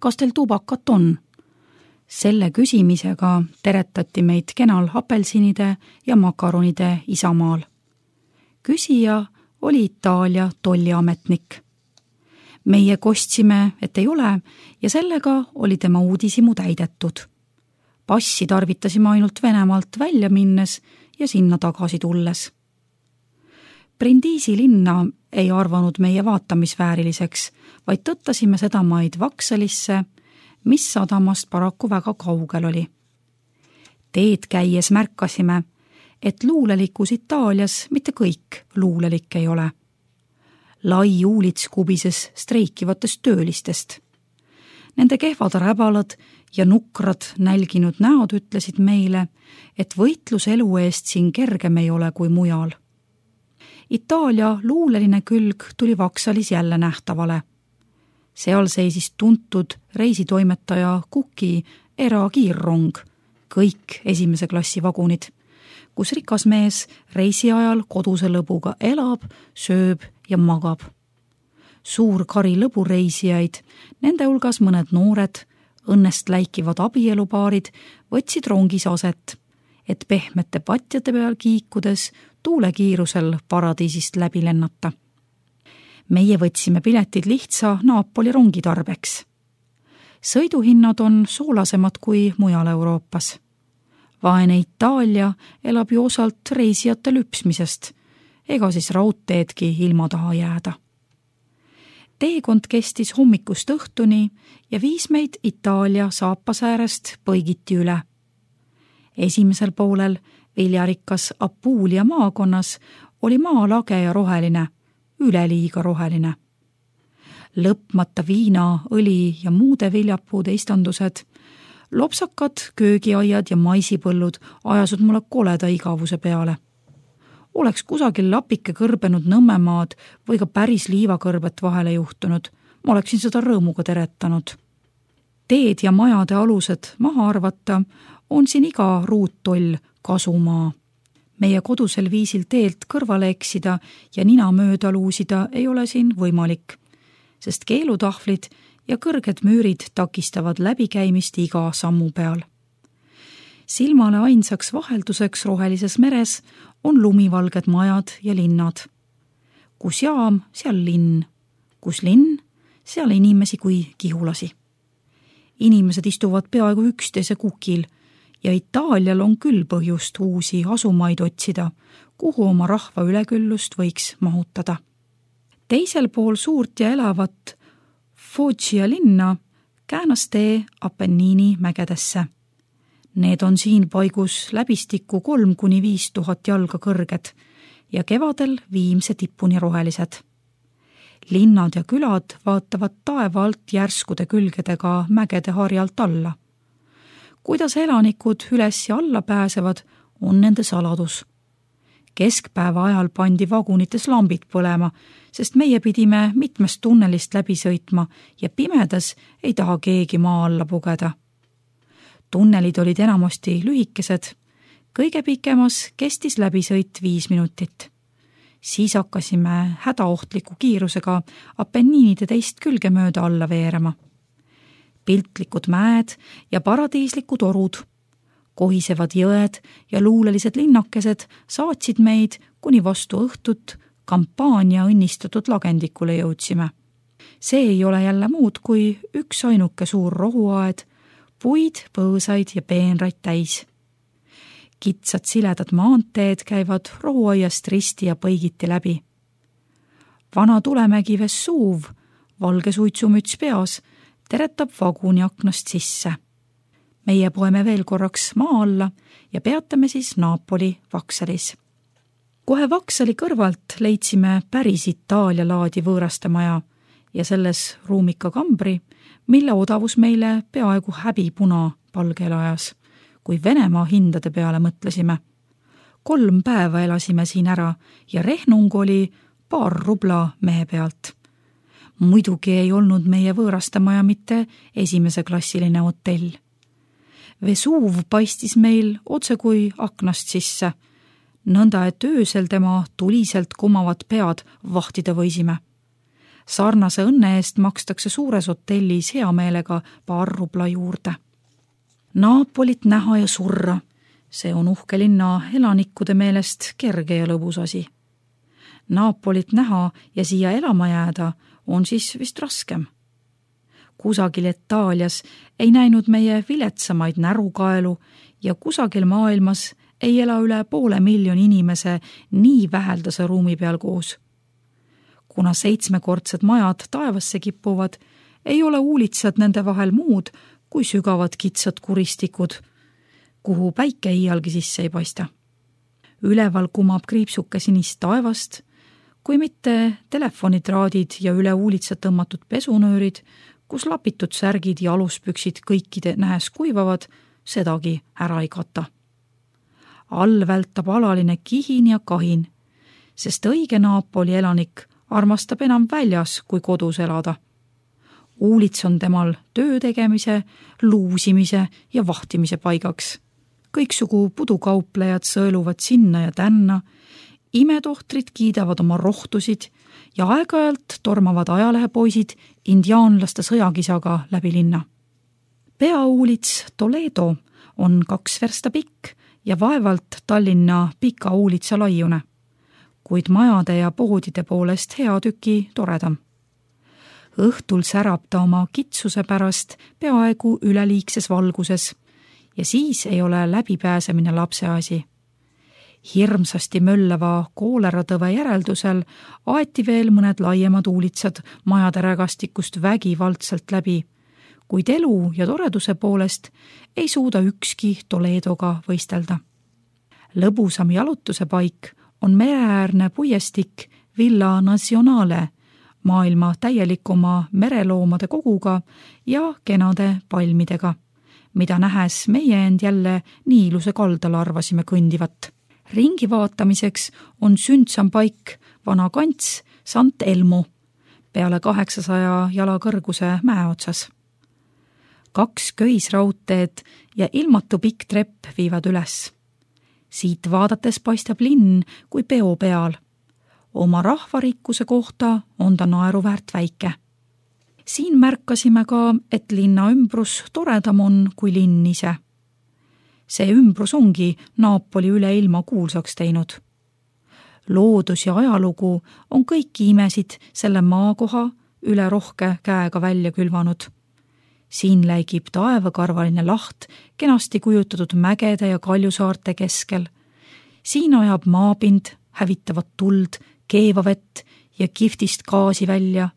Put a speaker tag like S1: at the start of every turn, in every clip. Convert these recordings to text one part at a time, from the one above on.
S1: kas teil tubakat on? Selle küsimisega teretati meid kenal apelsinide ja makaronide isamaal. Küsija oli Itaalia tolliametnik. Meie kostsime, et ei ole, ja sellega oli tema uudishimu täidetud. Passi tarvitasime ainult Venemaalt välja minnes ja sinna tagasi tulles. Brindisi linna ei arvanud meie vaatamisvääriliseks, vaid tõttasime seda maid Vaksalisse, mis sadamast paraku väga kaugel oli. Teed käies märkasime, et luulelikus Itaalias mitte kõik luulelik ei ole. Lai uulits kubises streikivatest töölistest. Nende kehvad räbalad ja nukrad nälginud näod ütlesid meile, et võitlus elu eest siin kergem ei ole kui mujal. Itaalia luuleline külg tuli Vaksalis jälle nähtavale. Seal seisis tuntud reisitoimetaja Kuki erakiirrong, kõik esimese klassi vagunid, kus rikas mees reisi ajal koduse lõbuga elab, sööb ja magab. Suur kari lõbureisijaid, nende hulgas mõned noored, õnnest läikivad abielupaarid võtsid rongis aset, et pehmete patjade peal kiikudes tuulekiirusel paradiisist läbi lennata. Meie võtsime piletid lihtsa Napoli rongi tarbeks. Sõiduhinnad on soolasemad kui mujal Euroopas. Vaene Itaalia elab ju osalt reisijate lüpsmisest, ega siis raudteedki ilma taha jääda. Teekond kestis hommikust õhtuni ja viis meid Itaalia saapasäärest põigiti üle. Esimesel poolel viljarikkas Apulia maakonnas oli maa lage ja roheline, üleliiga roheline. Lõpmata viina, õli ja muude viljapuude istandused, lopsakad, köögiaiad ja maisipõllud ajasud mulle koleda igavuse peale. Oleks kusagil lapike kõrbenud Nõmmemaad või ka päris liivakõrbet vahele juhtunud, ma oleksin seda rõõmuga teretanud. Teed ja majade alused maha arvata on siin iga ruuttoll kasumaa. Meie kodusel viisil teelt kõrvale eksida ja nina mööda luusida ei ole siin võimalik, sest keelutahvlid ja kõrged müürid takistavad läbikäimist iga sammu peal. Silmale ainsaks vahelduseks rohelises meres on lumivalged majad ja linnad. Kus jaam, seal linn. Kus linn, seal inimesi kui kihulasi. Inimesed istuvad peaaegu üksteise kukil ja Itaalial on küll põhjust uusi asumaid otsida, kuhu oma rahva üleküllust võiks mahutada. Teisel pool suurt ja elavat Foggia linna käänas tee Appenniini mägedesse. Need on siin paigus läbistikku 3-5 tuhat jalga kõrged ja kevadel viimse tipuni rohelised. Linnad ja külad vaatavad taeva alt järskude külgedega mägede harjalt alla. Kuidas elanikud üles ja alla pääsevad, on nende saladus. Keskpäeva ajal pandi vagunites lambid põlema, sest meie pidime mitmest tunnelist läbi sõitma ja pimedas ei taha keegi maa alla pugeda. Tunnelid olid enamasti lühikesed, kõige pikemas kestis läbisõit 5 minutit. Siis hakkasime hädaohtliku kiirusega Appenniinide teist külge mööda alla veerema. Piltlikud mäed ja paradiislikud orud, kohisevad jõed ja luulelised linnakesed saatsid meid, kuni vastu õhtut kampaania õnnistatud lagendikule jõudsime. See ei ole jälle muud kui üks ainuke suur rohuaed, puid, põõsaid ja peenraid täis. Kitsad siledad maanteed käivad rohuaiast risti ja põigiti läbi. Vana tulemägi Vesuv, valge suitsumüts peas, teretab vaguni aknast sisse. Meie poeme veel korraks maa alla ja peatame siis Napoli Vaksalis. Kohe Vaksali kõrvalt leidsime päris Itaalia laadi võõraste maja ja selles ruumika kambri, mille odavus meile peaaegu häbipuna palgel ajas, kui Venemaa hindade peale mõtlesime. 3 päeva elasime siin ära ja rehnung oli 2 rubla mehe pealt. Muidugi ei olnud meie võõraste maja mitte esimese klassiline hotell. Vesuv paistis meil otse kui aknast sisse, nõnda et öösel tema tuliselt kummavad pead vahtida võisime. Sarnase õnne eest makstakse suures hotellis hea meelega paar rubla juurde. Naapolit näha ja surra, see on uhke linna elanikkude meelest kerge ja lõbus asi. Naapolit näha ja siia elama jääda on siis vist raskem. Kusagil Itaalias ei näinud meie viletsamaid närukaelu ja kusagil maailmas ei ela üle 500,000 inimese nii väheldase ruumi peal koos. Kuna 7-kordsed majad taevasse kippuvad, ei ole uulitsad nende vahel muud kui sügavad kitsad kuristikud, kuhu päike iialgi sisse ei paista. Üleval kumab kriipsuke sinist taevast, kui mitte telefonitraadid ja üle uulitsad tõmmatud pesunöörid, kus lapitud särgid ja aluspüksid kõikide nähes kuivavad, sedagi ära ei kata. All vältab alaline kihin ja kahin, sest õige Naapoli elanik armastab enam väljas kui kodus elada. Uulits on temal töö tegemise, luusimise ja vahtimise paigaks. Kõiksugu pudukauplejad sõeluvad sinna ja tänna, imetohtrid kiidavad oma rohtusid ja aeg-ajalt tormavad ajalehepoisid indiaanlaste sõjakisaga läbi linna. Peauulits Toledo on 2 versta pikk ja vaevalt Tallinna pika uulitsa laiune, kuid majade ja poodide poolest hea tüki toredam. Õhtul särab ta oma kitsuse pärast peaaegu üleliigses valguses ja siis ei ole läbipääsemine lapseasi. Hirmsasti möllava kooleratõve järeldusel aeti veel mõned laiemad uulitsad majade rägastikust vägivaldselt läbi, kuid elu ja toreduse poolest ei suuda ükski Toledoga võistelda. Lõbusam jalutuse paik on mereäärne puiestik Villa Nazionale, maailma täielikuma mereloomade koguga ja kenade palmidega, mida nähes meie end jälle Niiluse kaldal arvasime kõndivat. Ringi vaatamiseks on sündsam paik vana kants Sant Elmo, peale 800 jala kõrguse mäe otsas. 2 köisraudteed ja ilmatu pikk trepp viivad üles. Siit vaadates paistab linn kui peo peal. Oma rahvarikkuse kohta on ta naeruväärt väike. Siin märkasime ka, et linna ümbrus toredam on kui linn ise. See ümbrus ongi Naapoli üle ilma kuulsaks teinud. Loodus ja ajalugu on kõiki imesid selle maakoha üle rohke käega välja külvanud. Siin läigib taevakarvaline laht kenasti kujutatud mägede ja kaljusaarte keskel. Siin ajab maapind hävitavat tuld, keevavett ja kihvtist gaasi välja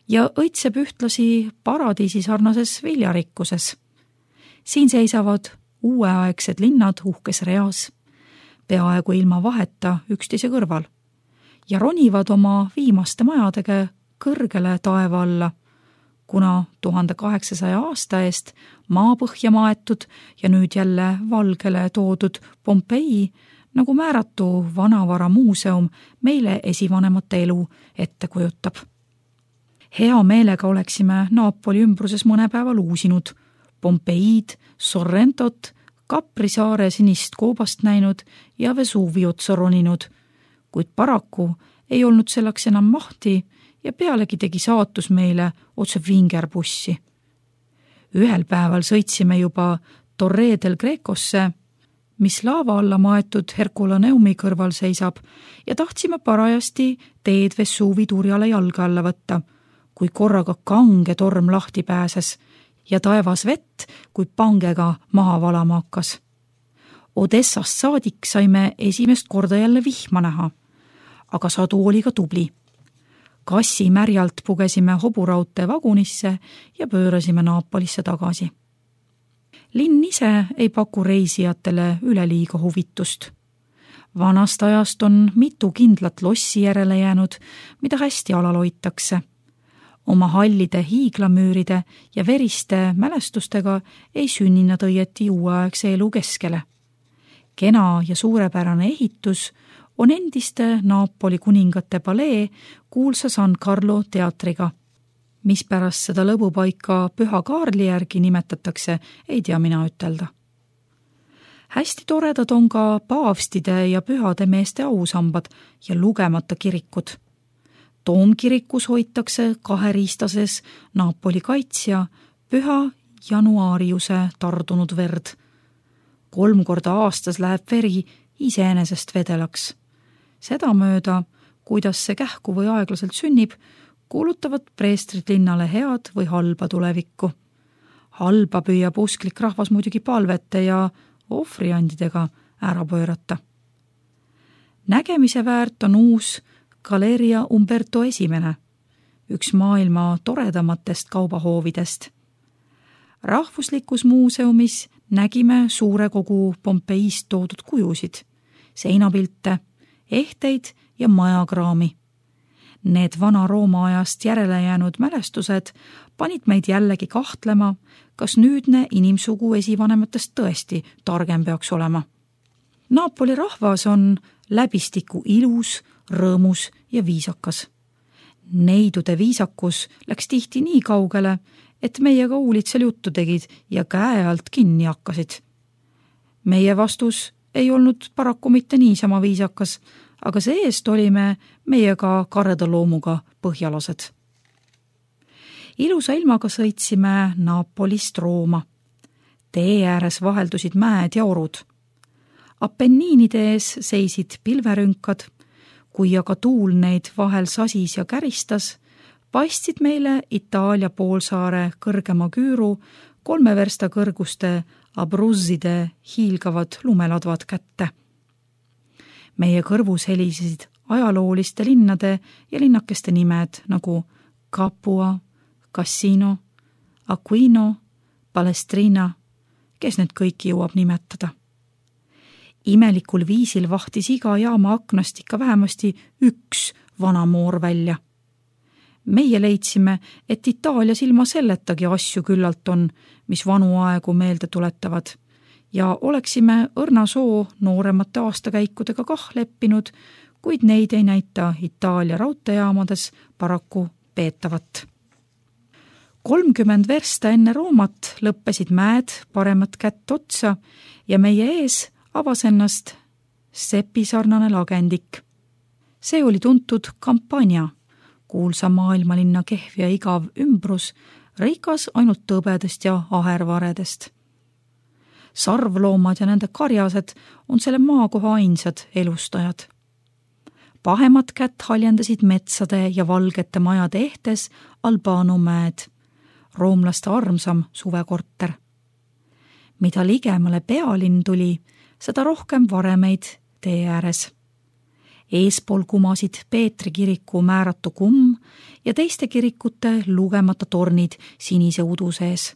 S1: ja õitseb ühtlasi paradiisi sarnases viljarikkuses. Siin seisavad uueaegsed linnad uhkes reas, peaaegu ilma vaheta üksteise kõrval ja ronivad oma viimaste majadega kõrgele taeva alla, kuna 1800 aasta eest maapõhja maetud ja nüüd jälle valgele toodud Pompei nagu määratu vanavara muuseum meile esivanemate elu ette kujutab. Hea meelega oleksime Naapoli ümbruses mõne päeva luusinud, Pompeid, Sorrentot, Capri saare sinist koobast näinud ja Vesuviot roninud, kuid paraku ei olnud selleks enam mahti ja pealegi tegi saatus meile otse vingerbussi. Ühel päeval sõitsime juba Torre del Grecosse, mis laava alla maetud Herculaneumi kõrval seisab ja tahtsime parajasti teed Vesuvi turjale jalga alla võtta, kui korraga kange torm lahti pääses ja taevas vett kui pangega maha valama hakkas. Odessast saadik saime esimest korda jälle vihma näha, aga sadu oli ka tubli. Kassi märjalt pugesime hoburaudtee vagunisse ja pöörasime Naapolisse tagasi. Linn ise ei paku reisijatele üleliiga huvitust. Vanast ajast on mitu kindlat lossi järele jäänud, mida hästi alal hoitakse. Oma hallide hiiglamüüride ja veriste mälestustega ei sünni nad õieti uueaegse elu keskele. Kena ja suurepärane ehitus on endiste Naapoli kuningate palee kuulsa San Carlo teatriga. Mis pärast seda lõbupaika Püha Kaarli järgi nimetatakse, ei tea mina ütelda. Hästi toredad on ka paavstide ja pühade meeste ausambad ja lugemata kirikud. Toomkirikus hoitakse kaheriistases Napoli kaitsja Püha Januariuse tardunud verd. 3 korda aastas läheb veri iseenesest vedelaks. Sedamööda, kuidas see kähku või aeglaselt sünnib, kuulutavad preestrid linnale head või halba tulevikku. Halba püüab usklik rahvas muidugi palvete ja ohvriandidega ära pöörata. Nägemise väärt on uus Galeria Umberto I, üks maailma toredamatest kaubahoovidest. Rahvuslikus muuseumis nägime suure kogu Pompeist toodud kujusid, seinapilte, ehteid ja majakraami. Need Vana-Rooma ajast järele jäänud mälestused panid meid jällegi kahtlema, kas nüüdne inimsugu esivanematest tõesti targem peaks olema. Napoli rahvas on läbistiku ilus, rõõmus ja viisakas. Neidude viisakus läks tihti nii kaugele, et meiega uulitsel juttu tegid ja käe alt kinni hakkasid. Meie vastus ei olnud paraku mitte niisama viisakas, aga see-eest olime meiega kareda loomuga põhjalased. Ilusa ilmaga sõitsime Napolist Rooma. Tee ääres vaheldusid mäed ja orud. Apenniinide ees seisid pilverünkad, kui aga tuul neid vahel sasis ja käristas, paistsid meile Itaalia poolsaare kõrgema küüru 3 versta kõrguste Abruzzide hiilgavad lumeladvad kätte. Meie kõrvus helisesid ajalooliste linnade ja linnakeste nimed nagu Capua, Cassino, Aquino, Palestrina, kes need kõiki jõuab nimetada. Imelikul viisil vahtis iga jaama aknast ikka vähemasti üks vanamoor välja. Meie leidsime, et Itaalias ilma selletagi asju küllalt on, mis vanu aegu meelde tuletavad, ja oleksime õrnasoo nooremate aastakäikudega kah leppinud, kuid neid ei näita Itaalia raudteejaamades paraku peetavat. 30 versta enne Roomat lõppesid mäed paremat kätt otsa ja meie ees avas ennast sepisarnane lagendik. See oli tuntud Campania, kuulsa maailmalinna kehv ja igav ümbrus, rikas ainult tõbedest ja ahervaredest. Sarvloomad ja nende karjased on selle maakoha ainsad elustajad. Pahemat kätt haljendasid metsade ja valgete majade ehtes Albano mäed, roomlaste armsam suvekorter. Mida ligemale pealinn tuli, seda rohkem varemeid tee ääres. Eespool kumasid Peetri kiriku määratu kumm ja teiste kirikute lugemata tornid sinise udu sees.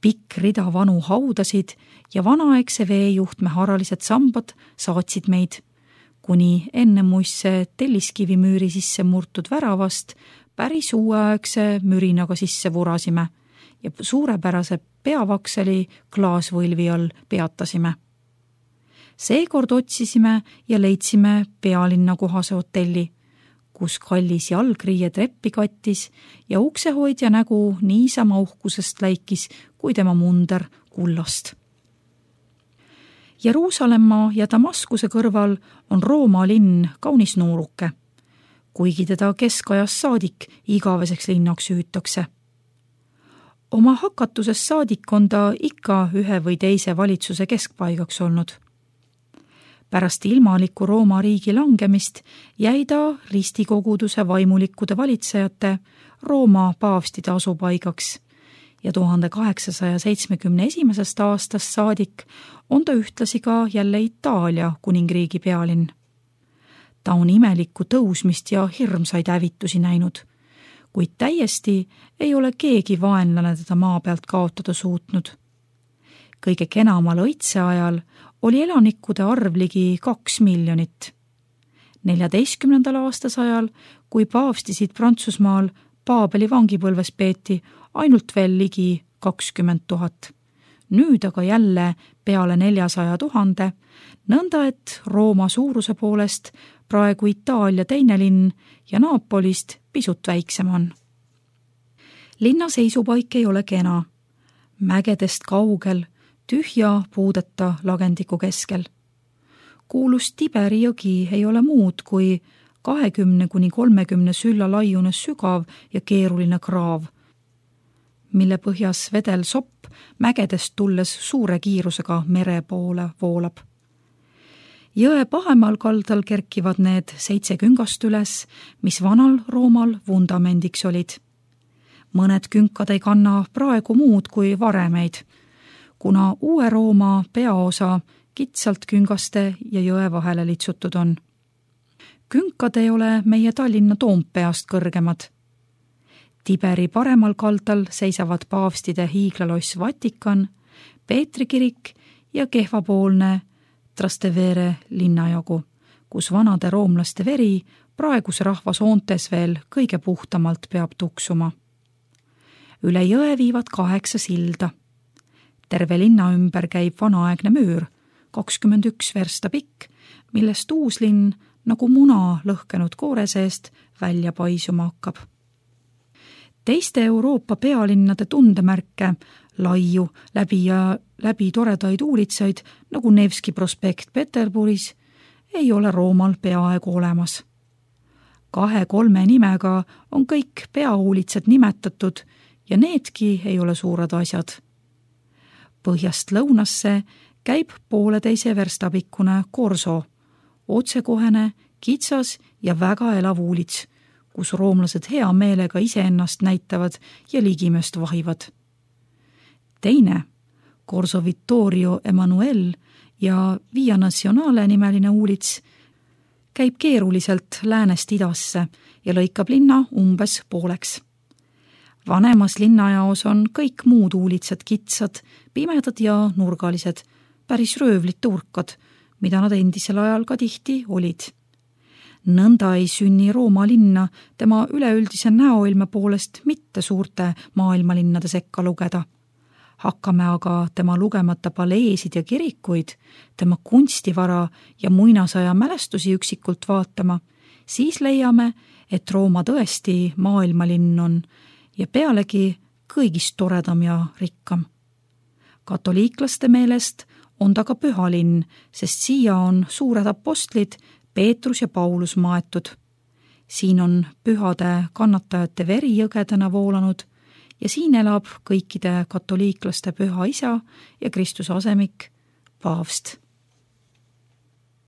S1: Pikk rida vanu haudasid ja vanaaegse veejuhtme haralised sambad saatsid meid, kuni enne muisse telliskivimüüri sisse murtud väravast päris uueaegse mürinaga sisse vurasime ja suurepärase peavakseli klaasvõlvi all peatasime. Seekord otsisime ja leidsime pealinna kohase hotelli, kus kallis jalgriie treppi kattis ja uksehoidja nägu niisama uhkusest läikis kui tema munder kullast. Jeruusalemma ja Damaskuse kõrval on Rooma linn kaunis nooruke, kuigi teda keskajas saadik igaveseks linnaks hüütakse. Oma hakatuses saadik on ta ikka ühe või teise valitsuse keskpaigaks olnud. Pärast ilmaliku Rooma riigi langemist jäi ta ristikoguduse vaimulikkude valitsejate Rooma paavstide asupaigaks ja 1871. aastast saadik on ta ühtlasi ka jälle Itaalia kuningriigi pealinn. Ta on imelikku tõusmist ja hirmsaid hävitusi näinud, kuid täiesti ei ole keegi vaenlane teda maa pealt kaotada suutnud. Kõige kenamal õitse ajal oli elanikkude arv ligi 2 miljonit. 14. aastasajal, kui paavstisid Prantsusmaal Paabeli vangipõlves peeti ainult veel ligi 20 000. Nüüd aga jälle peale 400 000, nõnda et Rooma suuruse poolest praegu Itaalia teine linn ja Napolist pisut väiksem on. Linna seisupaik ei ole kena. Mägedest kaugel, tühja puudeta lagendiku keskel. Kuulus Tiberi jõgi ei ole muud kui 20–30 sülla laiune sügav ja keeruline kraav, mille põhjas vedel sopp mägedest tulles suure kiirusega mere poole voolab. Jõe pahemal kaldal kerkivad need 7 küngast üles, mis vanal Roomal vundamendiks olid. Mõned künkad ei kanna praegu muud kui varemeid, kuna uue Rooma peaosa kitsalt küngaste ja jõe vahele litsutud on. Künkad ei ole meie Tallinna Toompeast kõrgemad. Tiberi paremal kaldal seisavad paavstide hiiglaloss Vatikan, Peetri kirik ja kehvapoolne Trastevere linnajagu, kus vanade roomlaste veri praeguse rahva soontes veel kõige puhtamalt peab tuksuma. Üle jõe viivad 8 silda. Terve linna ümber käib vanaaegne müür, 21 versta pikk, millest uus linn nagu muna lõhkenud koore seest välja paisuma hakkab. Teiste Euroopa pealinnade tundemärke, laiu, läbi toredaid uulitsaid, nagu Nevski prospekt Peterburis, ei ole Roomal peaaegu olemas. 2-3 nimega on kõik peauulitsad nimetatud ja needki ei ole suured asjad. Põhjast lõunasse käib 1,5 versta pikkune Corso, otsekohene, kitsas ja väga elav uulits, kus roomlased hea meelega iseennast näitavad ja ligimest vahivad. Teine, Corso Vittorio Emanuel ja Via Nazionale nimeline uulits, käib keeruliselt läänest idasse ja lõikab linna umbes pooleks. Vanemas linnajaos on kõik muud uulitsad kitsad, pimedad ja nurgalised, päris röövlite urkad, mida nad endisel ajal ka tihti olid. Nõnda ei sünni Rooma linna tema üleüldise näoilme poolest mitte suurte maailmalinnade sekka lugeda. Hakkame aga tema lugemata paleesid ja kirikuid, tema kunstivara ja muinasaja mälestusi üksikult vaatama, siis leiame, et Rooma tõesti maailmalinn on ja pealegi kõigist toredam ja rikkam. Katoliiklaste meelest on ta ka pühalinn, sest siia on suured apostlid Peetrus ja Paulus maetud. Siin on pühade kannatajate veri jõgedena voolanud ja siin elab kõikide katoliiklaste püha isa ja Kristuse asemik, paavst.